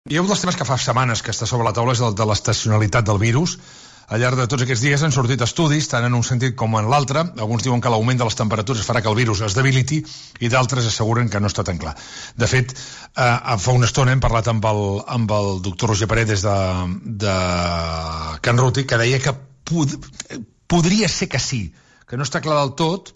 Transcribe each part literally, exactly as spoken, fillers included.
Hi ha un dels temes que fa setmanes que està sobre la taula és el de l'estacionalitat del virus. Al llarg de tots aquests dies han sortit estudis, tant en un sentit com en l'altre. Alguns diuen que l'augment de les temperatures farà que el virus es debiliti i d'altres asseguren que no està tan clar. De fet, eh, fa una estona hem parlat amb el, amb el doctor Roger Paredes de, de Can Ruti, que deia que pod podria ser que sí, que no està clar del tot,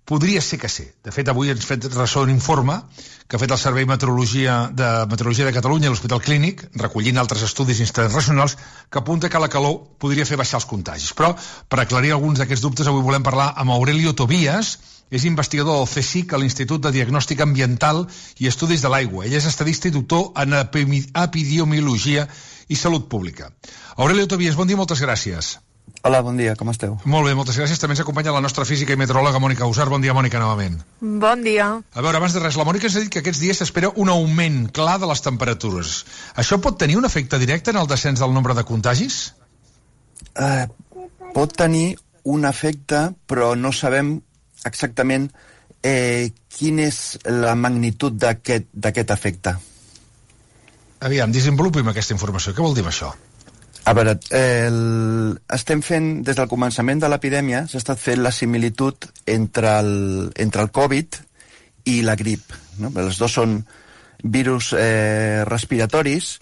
podria ser que sí. De fet, avui ens ha fet ressò un informe que ha fet el Servei Meteorologia de Meteorologia de Catalunya a l'Hospital Clínic, recollint altres estudis internacionals, que apunta que la calor podria fer baixar els contagis. Però, per aclarir alguns d'aquests dubtes, avui volem parlar amb Aurelio Tobías, és investigador del CSIC a l'Institut de Diagnòstic Ambiental i Estudis de l'Aigua. Ell és estadista i doctor en epidemiologia i salut pública. Aurelio Tobías, bon dia, moltes gràcies. Hola, bon dia, com esteu? Molt bé, moltes gràcies. També ens acompanya la nostra física i meteoròloga Mònica Usar. Bon dia, Mònica, novament. Bon dia. A veure, abans de res, la Mònica ens ha dit que aquests dies s'espera un augment clar de les temperatures. Això pot tenir un efecte directe en el descens del nombre de contagis? Uh, pot tenir un efecte, però no sabem exactament eh, quina és la magnitud d'aquest efecte. Aviam, desenvolupim aquesta informació. Què vol dir això? A veure, el... estem fent, des del començament de l'epidèmia, s'ha estat fent la similitud entre el, entre el Covid i la grip. No? Els dos són virus eh, respiratoris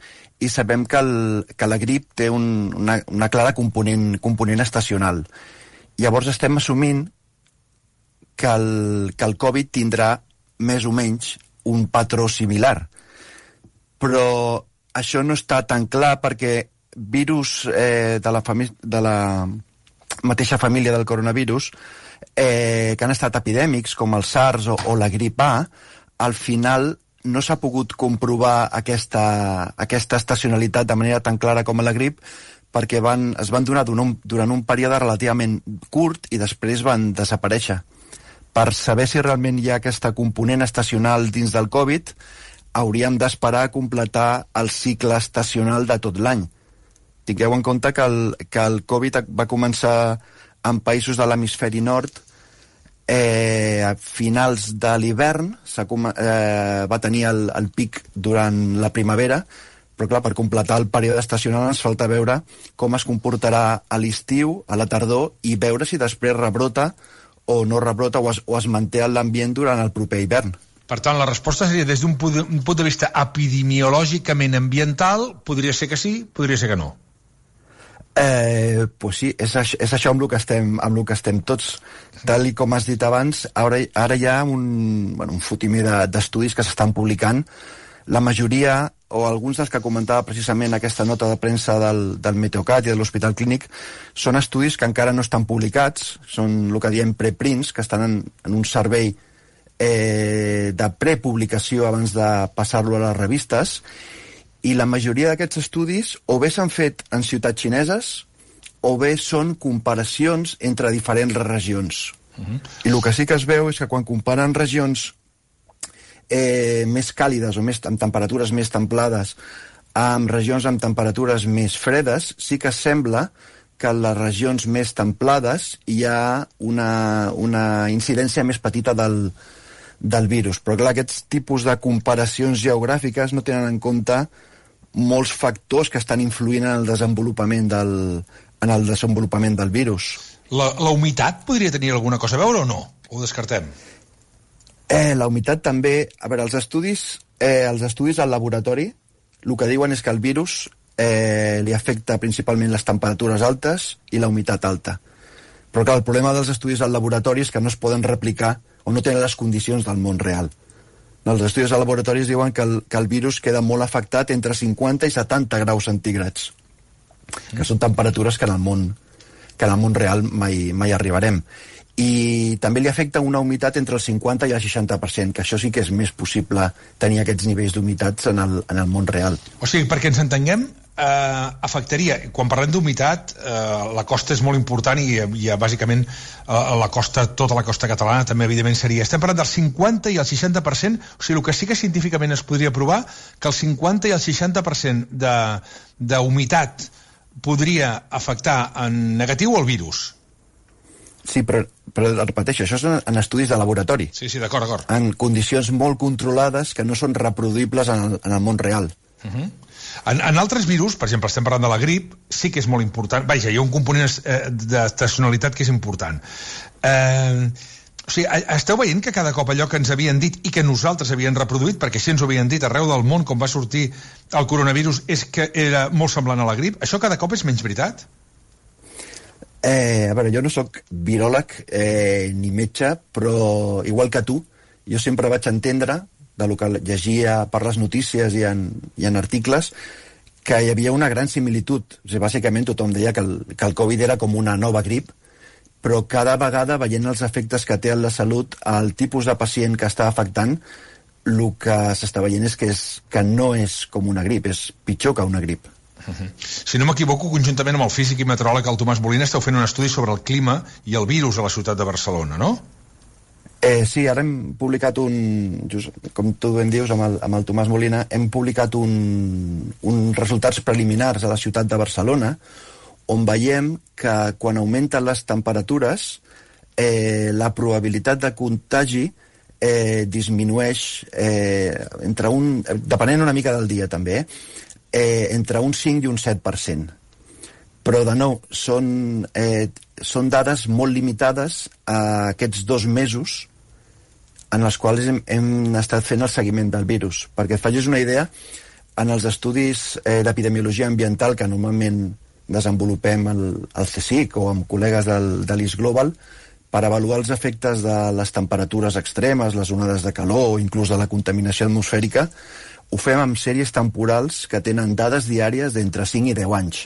i sabem que, el, que la grip té un, una, una clara component, component estacional. Llavors estem assumint que el, que el Covid tindrà més o menys un patró similar. Però això no està tan clar perquè virus eh, de, la de la mateixa família del coronavirus eh, que han estat epidèmics, com el SARS o, o la grip A, al final no s'ha pogut comprovar aquesta, aquesta estacionalitat de manera tan clara com a la grip, perquè van, es van donar durant un, durant un període relativament curt i després van desaparèixer. Per saber si realment hi ha aquesta component estacional dins del Covid, hauríem d'esperar a completar el cicle estacional de tot l'any. Tingueu en compte que el, que el Covid va començar en països de l'hemisferi nord eh, a finals de l'hivern, eh, va tenir el, el pic durant la primavera, però clar, per completar el període estacional ens falta veure com es comportarà a l'estiu, a la tardor, i veure si després rebrota o no rebrota o es, o es manté en l'ambient durant el proper hivern. Per tant, la resposta seria des d'un punt de vista epidemiològicament ambiental, podria ser que sí, podria ser que no. Eh, pues sí, és, això, és això amb el que estem, amb el que estem tots. Tal i com has dit abans, ara, ara hi ha un, bueno, un fotimer d'estudis de, que s'estan publicant. La majoria, o alguns dels que comentava precisament aquesta nota de premsa del, del Meteocat i de l'Hospital Clínic, són estudis que encara no estan publicats, són el que diem preprints, que estan en, en un servei eh, de prepublicació abans de passar-lo a les revistes, i la majoria d'aquests estudis o bé s'han fet en ciutats xineses o bé són comparacions entre diferents regions. Uh-huh. I el que sí que es veu és que quan comparen regions eh, més càlides o més, amb temperatures més templades amb regions amb temperatures més fredes, sí que sembla que en les regions més templades hi ha una, una incidència més petita del, del virus. Però clar, aquests tipus de comparacions geogràfiques no tenen en compte molts factors que estan influint en el desenvolupament del, en el desenvolupament del virus. La, la humitat podria tenir alguna cosa a veure o no? Ho descartem? Eh, la humitat també... A veure, els estudis, eh, els estudis al laboratori el que diuen és que el virus eh, li afecta principalment les temperatures altes i la humitat alta. Però clar, el problema dels estudis al laboratori és que no es poden replicar o no tenen les condicions del món real. Els estudis de laboratoris diuen que el, que el virus queda molt afectat entre cinquanta i setanta graus centígrads, que són temperatures que en el món, que en el món real mai, mai arribarem. I també li afecta una humitat entre el cinquanta i el seixanta per cent, que això sí que és més possible tenir aquests nivells d'humitats en, el, en el món real. O sigui, perquè ens entenguem, eh, afectaria, quan parlem d'humitat, eh, la costa és molt important i, i bàsicament eh, la costa, tota la costa catalana també evidentment seria. Estem parlant del cinquanta i el seixanta per cent, o sigui, el que sí que científicament es podria provar que el cinquanta i el seixanta per cent d'humitat podria afectar en negatiu el virus. Sí, però, però repeteixo, això és en estudis de laboratori. Sí, sí, d'acord, d'acord. En condicions molt controlades que no són reproduïbles en el, en el món real. Uh-huh. En, en altres virus, per exemple, estem parlant de la grip, sí que és molt important. Vaja, hi ha un component eh, d'estacionalitat que és important. Eh, o sigui, esteu veient que cada cop allò que ens havien dit i que nosaltres havien reproduït, perquè així ens ho havien dit arreu del món com va sortir el coronavirus, és que era molt semblant a la grip? Això cada cop és menys veritat? Eh, a veure, jo no sóc viròleg eh, ni metge, però igual que tu, jo sempre vaig entendre, de lo que llegia per les notícies i en, i en articles, que hi havia una gran similitud. O sigui, bàsicament tothom deia que el, que el Covid era com una nova grip, però cada vegada, veient els efectes que té en la salut, el tipus de pacient que està afectant, el que s'està veient és que, és que no és com una grip, és pitjor que una grip. Uh-huh. Si no m'equivoco, conjuntament amb el físic i meteoròleg, el Tomàs Molina, esteu fent un estudi sobre el clima i el virus a la ciutat de Barcelona, no? Eh, sí, ara hem publicat un, just, com tu ben dius, amb el, amb el Tomàs Molina, hem publicat un, un resultats preliminars a la ciutat de Barcelona, on veiem que quan augmenten les temperatures, eh, la probabilitat de contagi eh, disminueix eh, entre un, depenent una mica del dia també, eh, entre un cinc i un set per cent. Però, de nou, són, eh, són dades molt limitades a aquests dos mesos en els quals hem, hem estat fent el seguiment del virus. Perquè et facis una idea, en els estudis eh, d'epidemiologia ambiental que normalment desenvolupem el, el C S I C o amb col·legues del, de l'I S Global per avaluar els efectes de les temperatures extremes, les onades de calor o inclús de la contaminació atmosfèrica, ho fem amb sèries temporals que tenen dades diàries d'entre cinc i deu anys.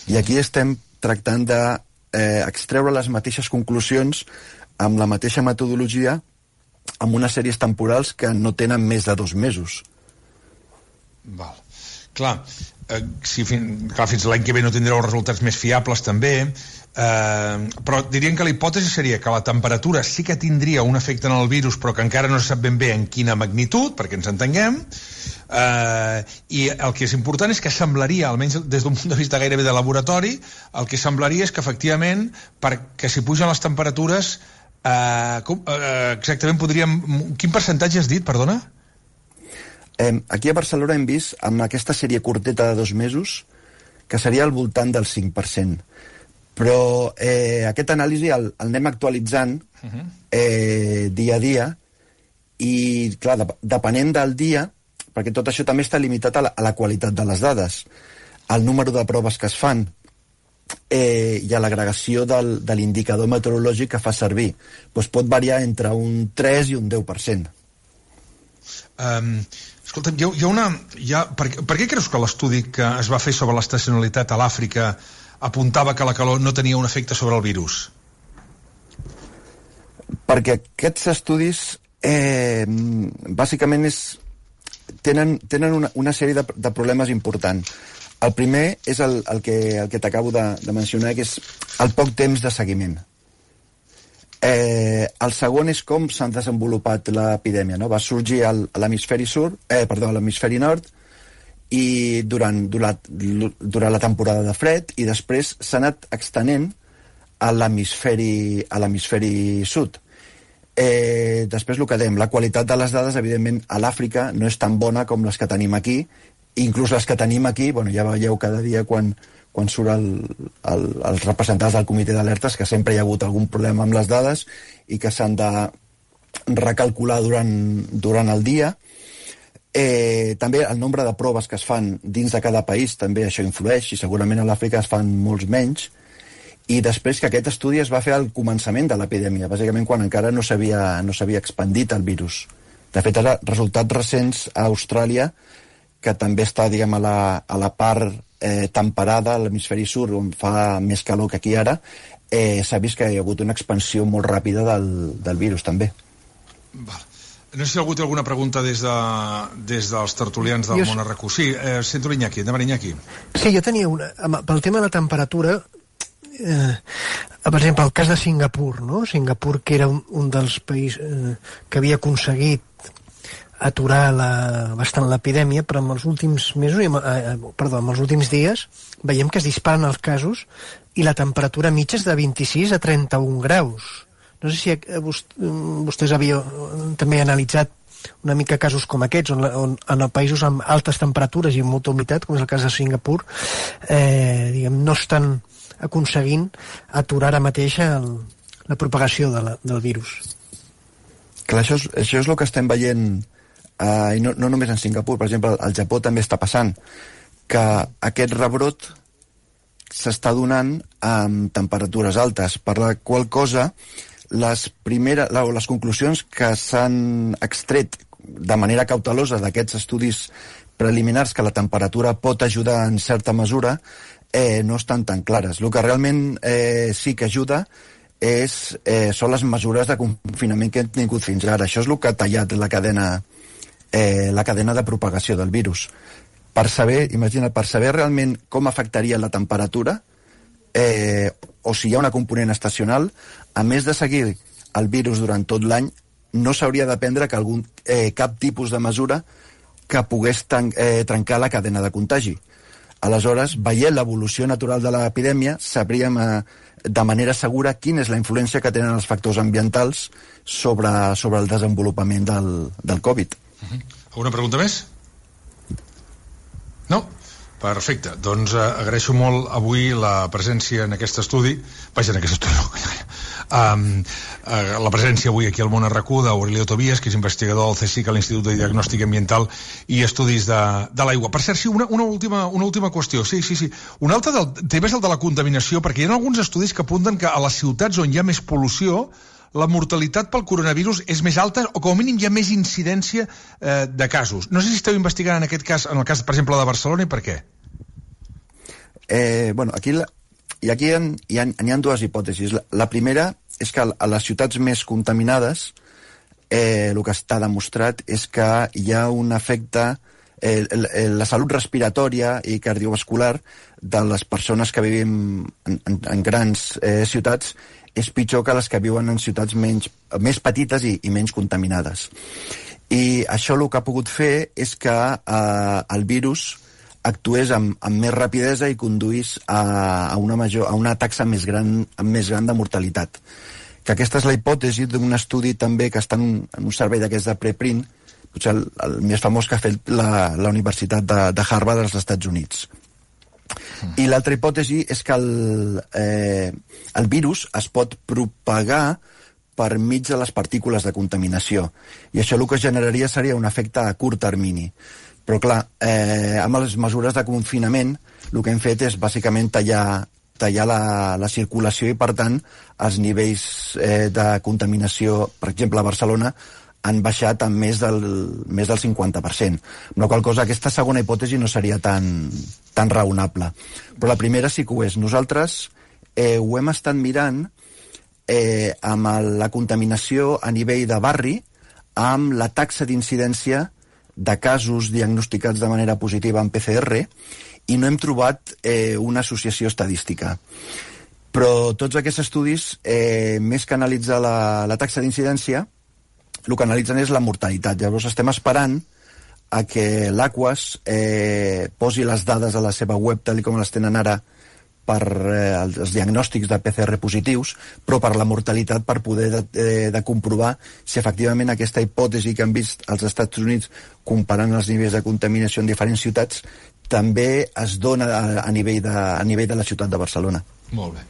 I aquí estem tractant d'extreure eh, les mateixes conclusions amb la mateixa metodologia amb unes sèries temporals que no tenen més de dos mesos. Val. Clar, eh, si fin, clar, fins l'any que ve no tindreu resultats més fiables també, eh, però dirien que la hipòtesi seria que la temperatura sí que tindria un efecte en el virus, però que encara no se sap ben bé en quina magnitud, perquè ens entenguem, eh, i el que és important és que semblaria, almenys des d'un punt de vista gairebé de laboratori, el que semblaria és que efectivament, perquè si pugen les temperatures, eh, com, eh, exactament podríem... Quin percentatge has dit, perdona? Eh, aquí a Barcelona hem vist, amb aquesta sèrie curteta de dos mesos, que seria al voltant del cinc per cent. Però eh, aquest anàlisi el, el anem actualitzant eh, dia a dia i, clar, de, depenent del dia, perquè tot això també està limitat a la, a la qualitat de les dades, al número de proves que es fan eh, i a l'agregació del, de l'indicador meteorològic que fa servir. Doncs pot variar entre un tres i un deu per cent. Um, escolta'm, hi ha, hi ha una... Hi ha, per, per què creus que l'estudi que es va fer sobre l'estacionalitat a l'Àfrica apuntava que la calor no tenia un efecte sobre el virus? Perquè aquests estudis eh, bàsicament és, tenen, tenen una, una sèrie de, de problemes importants. El primer és el, el que, el que t'acabo de, de mencionar, que és el poc temps de seguiment. Eh, el segon és com s'ha desenvolupat l'epidèmia, no? Va sorgir al, a l'hemisferi sud, eh, perdó, a l'hemisferi nord, i durant, durant, durant la temporada de fred, i després s'ha anat extenent a l'hemisferi a l'hemisferi sud. Eh, després el que dèiem, la qualitat de les dades, evidentment, a l'Àfrica no és tan bona com les que tenim aquí, inclús les que tenim aquí, bueno, ja veieu cada dia quan quan surt el, el, els representants del comitè d'alertes, que sempre hi ha hagut algun problema amb les dades i que s'han de recalcular durant, durant el dia. Eh, també el nombre de proves que es fan dins de cada país, també això influeix, i segurament a l'Àfrica es fan molts menys. I després que aquest estudi es va fer al començament de l'epidèmia, bàsicament quan encara no s'havia no s'havia expandit el virus. De fet, ara, resultats recents a Austràlia, que també està, diguem, a la, a la part eh, temperada, a l'hemisferi sud, on fa més calor que aquí ara, eh, s'ha vist que hi ha hagut una expansió molt ràpida del, del virus, també. Val. No sé si algú té alguna pregunta des, de, des dels tertulians del jo... món R Q. Sí, eh, sento l'Iñaki, endavant Iñaki. Sí, jo tenia una... Pel tema de la temperatura, eh, per exemple, el cas de Singapur, no? Singapur, que era un, un dels països eh, que havia aconseguit aturar la, bastant l'epidèmia, però en els últims mesos, eh, perdó, en els últims dies, veiem que es disparen els casos i la temperatura mitja és de vint-i-sis a trenta-un graus. No sé si vostès havíeu també analitzat una mica casos com aquests, on, on en països amb altes temperatures i amb molta humitat, com és el cas de Singapur, eh, diguem, no estan aconseguint aturar ara mateix el, la propagació de la, del virus. Clar, això és, això és el que estem veient, eh, i no, no només en Singapur, per exemple, al Japó també està passant, que aquest rebrot s'està donant amb temperatures altes, per la qual cosa les, primeres, les conclusions que s'han extret de manera cautelosa d'aquests estudis preliminars que la temperatura pot ajudar en certa mesura eh, no estan tan clares. El que realment eh, sí que ajuda és, eh, són les mesures de confinament que hem tingut fins ara. Això és el que ha tallat la cadena, eh, la cadena de propagació del virus. Per saber, imagina, per saber realment com afectaria la temperatura, eh, o si hi ha una component estacional, a més de seguir el virus durant tot l'any, no s'hauria de prendre que algun, eh, cap tipus de mesura que pogués tan, eh, trencar la cadena de contagi. Aleshores, veient l'evolució natural de l'epidèmia, sabríem eh, de manera segura quina és la influència que tenen els factors ambientals sobre, sobre el desenvolupament del, del Covid. Uh-huh. Alguna pregunta més? No? Perfecte. Doncs eh, agraeixo molt avui la presència en aquest estudi, vaja, en aquest estudi no, um, eh, la presència avui aquí al Món RAC1 d'Aurelio Tobias, que és investigador del CSIC a l'Institut de Diagnòstic Ambiental i Estudis de, de l'Aigua. Per cert, sí, una, una, última, una última qüestió. Sí, sí, sí. Un altre del tema és el de la contaminació, perquè hi ha alguns estudis que apunten que a les ciutats on hi ha més pol·lució la mortalitat pel coronavirus és més alta o com a mínim hi ha més incidència eh, de casos. No sé si esteu investigant en aquest cas, en el cas, per exemple, de Barcelona, i per què? Eh, bueno, aquí, la, i aquí hi ha, hi, ha, hi ha dues hipòtesis. La, la primera és que a les ciutats més contaminades eh, el que està demostrat és que hi ha un efecte, eh, la salut respiratòria i cardiovascular de les persones que vivim en, en, en grans eh, ciutats és pitjor que les que viuen en ciutats menys, més petites i, i menys contaminades. I això el que ha pogut fer és que eh, el virus actués amb, amb més rapidesa i conduís a, a, una, major, a una taxa més gran, més gran de mortalitat. Que aquesta és la hipòtesi d'un estudi també que està en un, en un servei d'aquests de preprint, potser el, el més famós que ha fet la, la Universitat de, de Harvard dels Estats Units. I l'altra hipòtesi és que el, eh, el virus es pot propagar per mig de les partícules de contaminació. I això el que generaria seria un efecte a curt termini. Però clar, eh, amb les mesures de confinament el que hem fet és bàsicament tallar, tallar la, la circulació i per tant els nivells eh, de contaminació, per exemple a Barcelona, han baixat en més del, més del cinquanta per cent. Amb la qual cosa aquesta segona hipòtesi no seria tan, tan raonable. Però la primera sí que ho és. Nosaltres eh, ho hem estat mirant eh, amb la contaminació a nivell de barri, amb la taxa d'incidència de casos diagnosticats de manera positiva en P C R i no hem trobat eh, una associació estadística. Però tots aquests estudis, eh, més que analitzar la, la taxa d'incidència, el que analitzen és la mortalitat. Llavors estem esperant a que l'Aquas eh, posi les dades a la seva web tal com les tenen ara per eh, els diagnòstics de P C R positius, però per la mortalitat per poder de, de, de comprovar si efectivament aquesta hipòtesi que han vist als Estats Units comparant els nivells de contaminació en diferents ciutats també es dona a, a, nivell, de, a nivell de la ciutat de Barcelona. Molt bé.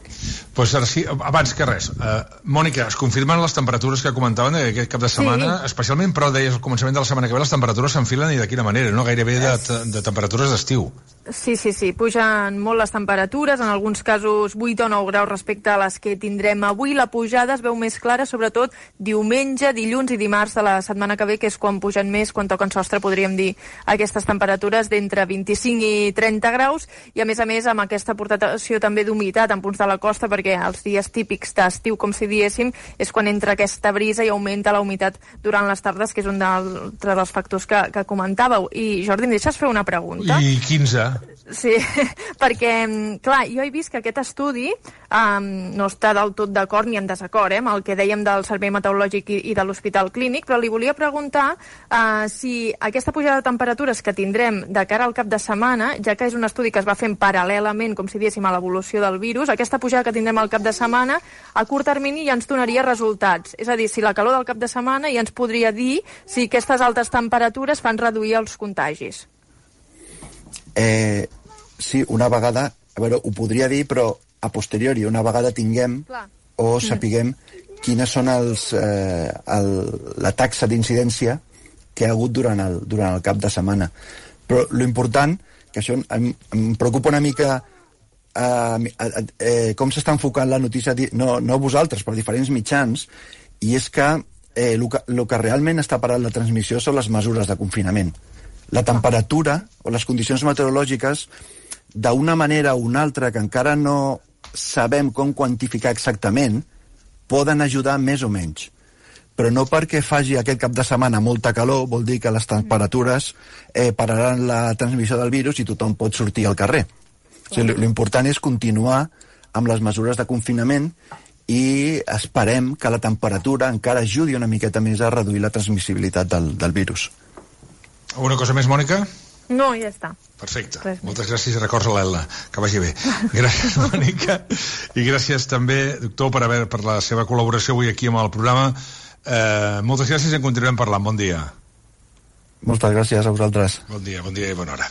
Pues ara sí, abans que res, uh, Mònica, es confirmen les temperatures que comentaven aquest cap de setmana, sí. Especialment, però deies al començament de la setmana que ve les temperatures s'enfilen i de quina manera, no? Gairebé de, de temperatures d'estiu. Sí, sí, sí, pugen molt les temperatures, en alguns casos vuit o nou graus respecte a les que tindrem avui. La pujada es veu més clara, sobretot diumenge, dilluns i dimarts de la setmana que ve, que és quan pugen més, quan toquen sostre, podríem dir, aquestes temperatures d'entre vint-i-cinc i trenta graus, i a més a més amb aquesta aportació també d'humitat en punts de la costa, perquè els dies típics d'estiu, com si diéssim, és quan entra aquesta brisa i augmenta la humitat durant les tardes, que és un dels factors que, que comentàveu. I Jordi, em deixes fer una pregunta? I quinze. Sí, perquè, clar, jo he vist que aquest estudi um, no està del tot d'acord ni en desacord eh, amb el que dèiem del Servei Meteorològic i, i de l'Hospital Clínic, però li volia preguntar uh, si aquesta pujada de temperatures que tindrem de cara al cap de setmana, ja que és un estudi que es va fent paral·lelament, com si diéssim, a l'evolució del virus, aquesta pujada que tindrem al cap de setmana, a curt termini ja ens donaria resultats. És a dir, si la calor del cap de setmana ja ens podria dir si aquestes altes temperatures fan reduir els contagis. Eh, sí, una vegada, a veure, ho podria dir, però a posteriori, una vegada tinguem Clar. o sapiguem mm. quines són els, eh, el, la taxa d'incidència que ha hagut durant el, durant el cap de setmana. Però l'important, que això em, em preocupa una mica eh, eh, com s'està enfocant la notícia, no, no vosaltres, però diferents mitjans, i és que eh, el que, el que realment està parant la transmissió són les mesures de confinament. La temperatura o les condicions meteorològiques, d'una manera o una altra que encara no sabem com quantificar exactament, poden ajudar més o menys. Però no perquè faci aquest cap de setmana molta calor vol dir que les temperatures eh, pararan la transmissió del virus i tothom pot sortir al carrer. O sigui, l'important és continuar amb les mesures de confinament i esperem que la temperatura encara ajudi una miqueta més a reduir la transmissibilitat del, del virus. Alguna cosa més, Mònica? No, ja està. Perfecte. Moltes gràcies i records a l'Elna. Que vagi bé. Gràcies, Mònica. I gràcies també, doctor, per, haver, per la seva col·laboració avui aquí amb el programa. Eh, moltes gràcies i en continuarem parlant. Bon dia. Moltes gràcies a vosaltres. Bon dia, bon dia i bona hora.